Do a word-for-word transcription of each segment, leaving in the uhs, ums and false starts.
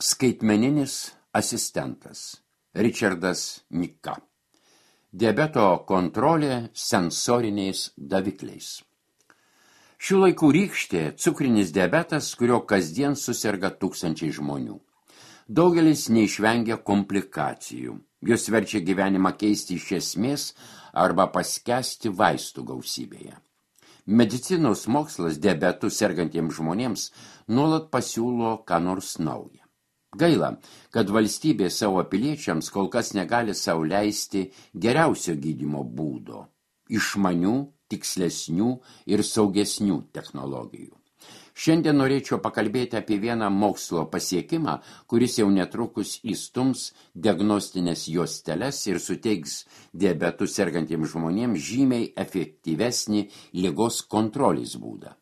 Skaitmeninis asistentas Richardas Nika. Diabeto kontrolė sensoriniais davikliais. Šių laikų rykštė cukrinis diabetas, kurio kasdien susirga tūkstančiai žmonių. Daugelis neišvengia komplikacijų. Jos verčia gyvenimą keisti iš esmės arba paskęsti vaistų gausybėje. Medicinos mokslas diabetu sergantiems žmonėms nuolat pasiūlo ką nors naują. Gaila, kad valstybė savo piliečiams kol kas negali sau leisti geriausio gydymo būdo, išmanių, tikslesnių ir saugesnių technologijų. Šiandien norėčiau pakalbėti apie vieną mokslo pasiekimą, kuris jau netrukus įstums diagnostinės juosteles ir suteiks diabetu sergantiems žmonėms žymiai efektyvesnį ligos kontrolės būdą.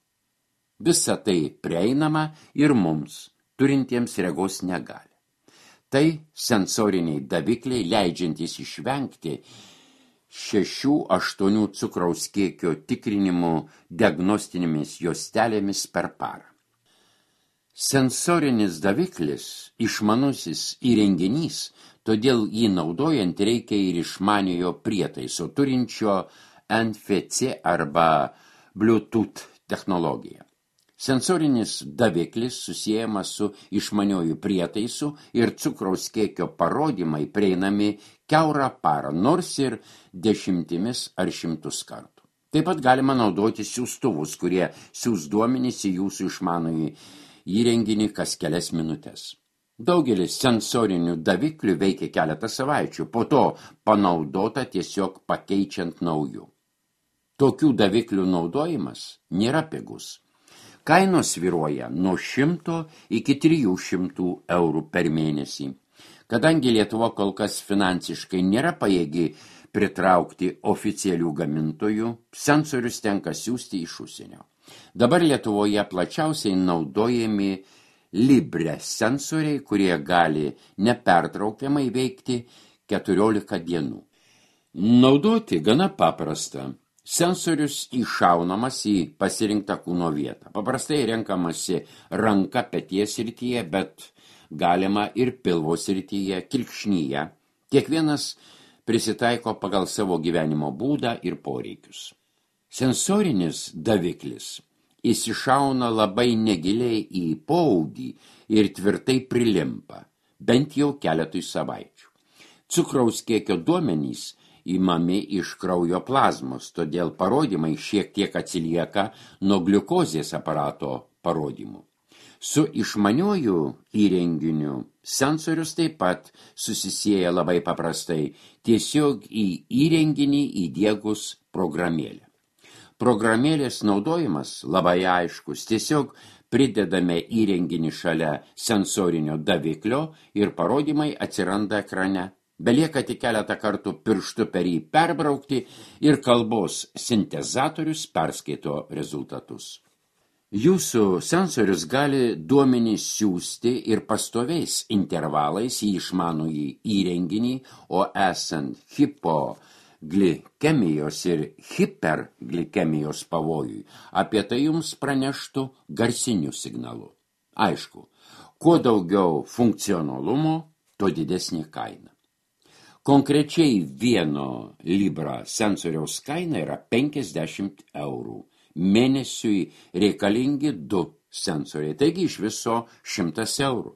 Visa tai prieinama ir mums, turintiems regos negalią. Tai sensoriniai davikliai, leidžiantys išvengti šešių aštuonių cukraus kiekio tikrinimų diagnostinėmis juostelėmis per parą. Sensorinis daviklis išmanusis įrenginys, todėl jį naudojant reikia ir išmaniojo prietaiso turinčio N F C arba Bluetooth technologiją. Sensorinis daviklis susiejamas su išmaniuoju prietaisu ir cukraus kiekio parodymai prieinami kiaurą parą, nors ir dešimtimis ar šimtus kartų. Taip pat galima naudoti siųstuvus, kurie siųs duomenys į jūsų išmanųjį įrenginį kas kelias minutes. Daugelis sensorinių daviklių veikia keletą savaičių, po to panaudota tiesiog pakeičiant naujų. Tokių daviklių naudojimas nėra pigus. Kainos svyruoja nuo šimto iki trijų šimtų eurų per mėnesį. Kadangi Lietuva kol kas finansiškai nėra pajėgi pritraukti oficialių gamintojų, sensorius tenka siųsti iš užsienio. Dabar Lietuvoje plačiausiai naudojami Libre sensoriai, kurie gali nepertraukiamai veikti keturiolika dienų. Naudoti gana paprasta. Sensorius iššaunamas į pasirinktą kūno vietą. Paprastai renkamasi ranka peties srityje, bet galima ir pilvo srityje, kilkšnyje. Kiekvienas prisitaiko pagal savo gyvenimo būdą ir poreikius. Sensorinis daviklis įsišauna labai negiliai į poaudį ir tvirtai prilimpa, bent jau keletui savaičių. Cukraus kiekio duomenys įmami iš kraujo plazmos, todėl parodymai šiek tiek atsilieka nuo gliukozės aparato parodymų. Su išmaniuoju įrenginiu sensorius taip pat susisieja labai paprastai, tiesiog į įrenginį įdiegus programėlę. Programėlės naudojimas labai aiškus, tiesiog pridedame įrenginį šalia sensorinio daviklio ir parodymai atsiranda ekrane. Belieka tik keletą kartų pirštu per jį perbraukti ir kalbos sintezatorius perskaito rezultatus. Jūsų sensorius gali duomenys siųsti ir pastoviais intervalais į išmanųjį įrenginį, o esant hipoglikemijos ir hiperglikemijos pavojui, apie tai jums praneštų garsiniu signalu. Aišku, kuo daugiau funkcionalumo, tuo didesnė kaina. Konkrečiai vieno Libra sensoriaus kaina yra penkiasdešimt eurų. Mėnesiui reikalingi du sensoriai, taigi iš viso šimtas eurų.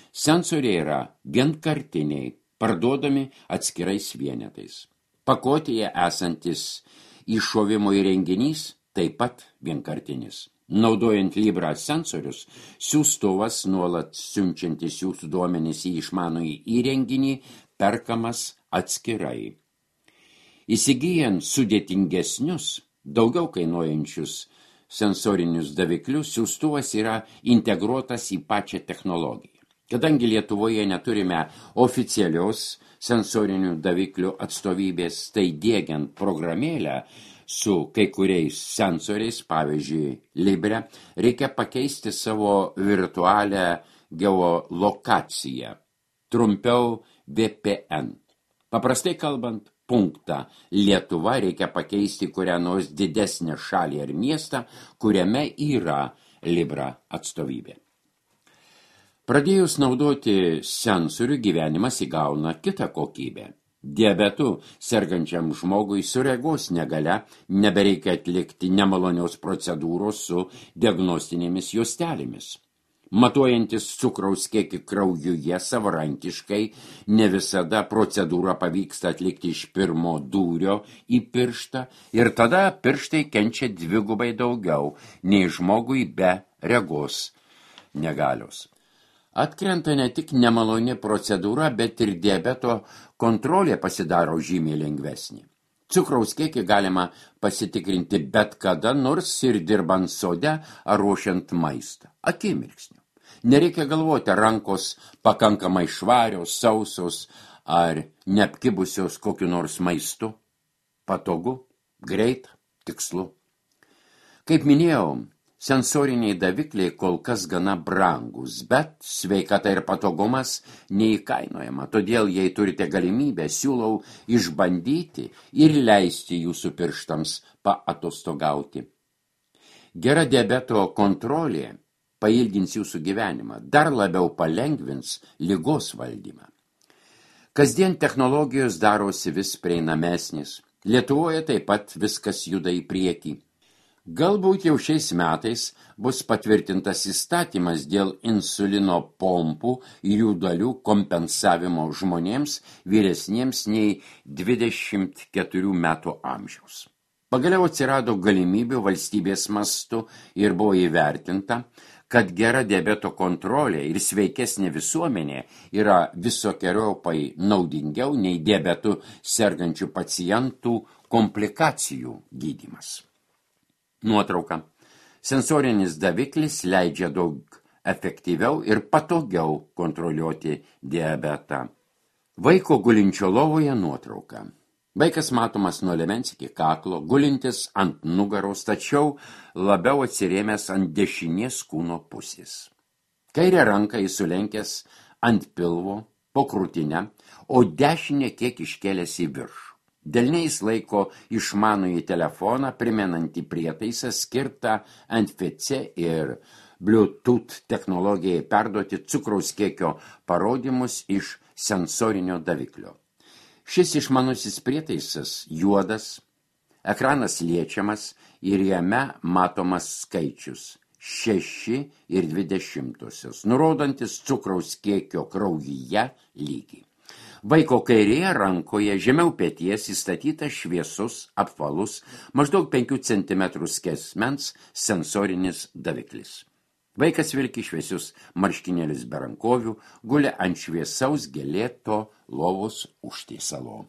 Sensoriai yra vienkartiniai, parduodami atskirais vienetais. Pakotėje esantis iššovimo įrenginys taip pat vienkartinis. Naudojant Libra sensorius, siųstuvas nuolat siunčiantis jūsų duomenys į išmanųjį įrenginį perkamas atskirai. Įsigyjant sudėtingesnius, daugiau kainuojančius sensorinius daviklius, siųstuvas yra integruotas į pačią technologiją. Kadangi Lietuvoje neturime oficialios sensorinių daviklių atstovybės, tai diegiant programėlę su kai kuriais sensoriais, pavyzdžiui, Libre, reikia pakeisti savo virtualią geolokaciją, trumpiau V P N. Paprastai kalbant, punktą Lietuva reikia pakeisti kurią nors didesnę šalį ar miestą, kuriame yra Libra atstovybė. Pradėjus naudoti sensorių, gyvenimas įgauna kitą kokybę. Diabetu sergančiam žmogui su regos negalia nebereikia atlikti nemalonios procedūros su diagnostinėmis juostelėmis. Matuojantis cukraus kiekį kraujuje savarankiškai, ne visada procedūrą pavyksta atlikti iš pirmo dūrio į pirštą ir tada pirštai kenčia dvigubai daugiau nei žmogui be regos negalios. Atkrenta ne tik nemaloni procedūra, bet ir diabeto kontrolė pasidaro žymiai lengvesnė. Cukraus kiekį galima pasitikrinti bet kada, nors ir dirbant sode ar ruošiant maistą. Akimirksniu. Nereikia galvoti, rankos pakankamai švarios, sausos ar neapkibusios kokiu nors maistu. Patogu, greit, tikslu. Kaip minėjau, sensoriniai davikliai kol kas gana brangus, bet sveikata ir patogumas neįkainojama. Todėl, jei turite galimybę, siūlau išbandyti ir leisti jūsų pirštams paatostogauti. Gera diabeto kontrolė pailgins jūsų gyvenimą, dar labiau palengvins ligos valdymą. Kasdien technologijos darosi vis prieinamesnis. Lietuvoje taip pat viskas juda į priekį. Galbūt jau šiais metais bus patvirtintas įstatymas dėl insulino pompų ir jų dalių kompensavimo žmonėms vyresniems nei dvidešimt keturių metų amžiaus. Pagaliau atsirado galimybių valstybės mastu ir buvo įvertinta, kad gera diabeto kontrolė ir sveikesnė visuomenė yra visokeriopai naudingiau nei diabetu sergančių pacientų komplikacijų gydymas. Nuotrauka. Sensorinis daviklis leidžia daug efektyviau ir patogiau kontroliuoti diabetą. Vaiko gulinčio lovoje nuotrauka. Vaikas matomas nuo liemens iki kaklo, gulintis ant nugaros, tačiau labiau atsirėmęs ant dešinės kūno pusės. Kairę ranką jis sulenkęs ant pilvo, po krūtinę, o dešinę kiek iškėlęs į viršų. Delniais laiko išmanųjį telefoną, primenantį prietaisą skirtą N F C ir Bluetooth technologijai perduoti cukraus kiekio parodymus iš sensorinio daviklio. Šis išmanusis prietaisas juodas, ekranas liečiamas ir jame matomas skaičius šeši ir dvi dešimtosios, nurodantis cukraus kiekio kraujyje lygį. Vaiko kairėje rankoje žemiau peties įstatytas šviesus, apvalus, maždaug penkių centimetrų skersmens sensorinis daviklis. Vaikas vilki šviesius marškinėlius be rankovių, guli ant šviesaus gėlėto lovos užtiesalo.